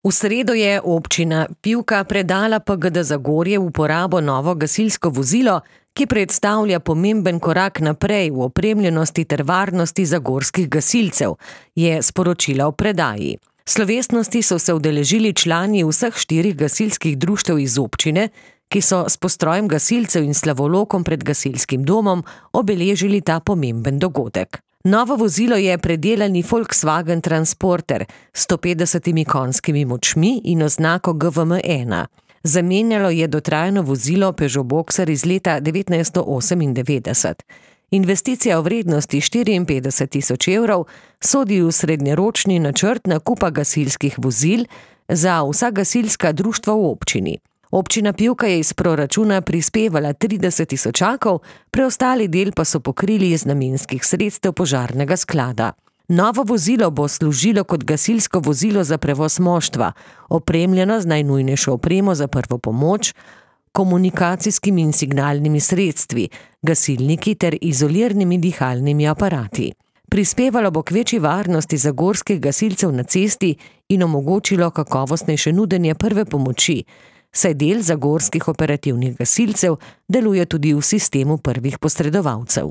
V sredo je občina Pivka predala PGD Zagorje v uporabo novo gasilsko vozilo, ki predstavlja pomemben korak naprej v opremljenosti ter varnosti zagorskih gasilcev, je sporočila v predaji. Slovesnosti so se udeležili člani vseh 4 gasilskih društev iz občine, ki so s postrojem gasilcev in slavolokom pred gasilskim domom obeležili ta pomemben dogodek. Novo vozilo je predelani Volkswagen Transporter s 150 konjskimi močmi in oznako GVM1. Zamenjalo je dotrajano vozilo Peugeot Boxer iz leta 1998. Investicija v vrednosti 54 000 evrov sodi v srednjeročni načrt nakupa gasilskih vozil za vsa gasilska društva v občini. Občina Pivka je iz proračuna prispevala 30 000, preostali del pa so pokrili iz namenskih sredstev požarnega sklada. Novo vozilo bo služilo kot gasilsko vozilo za prevoz moštva, opremljeno z najnujnejšo opremo za prvo pomoč, komunikacijskimi in signalnimi sredstvi, gasilniki ter izolirnimi dihalnimi aparati. Prispevalo bo k večji varnosti zagorskih gasilcev na cesti in omogočilo kakovostnejše nudenje prve pomoči, saj del zagorskih operativnih gasilcev deluje tudi v sistemu prvih posredovalcev.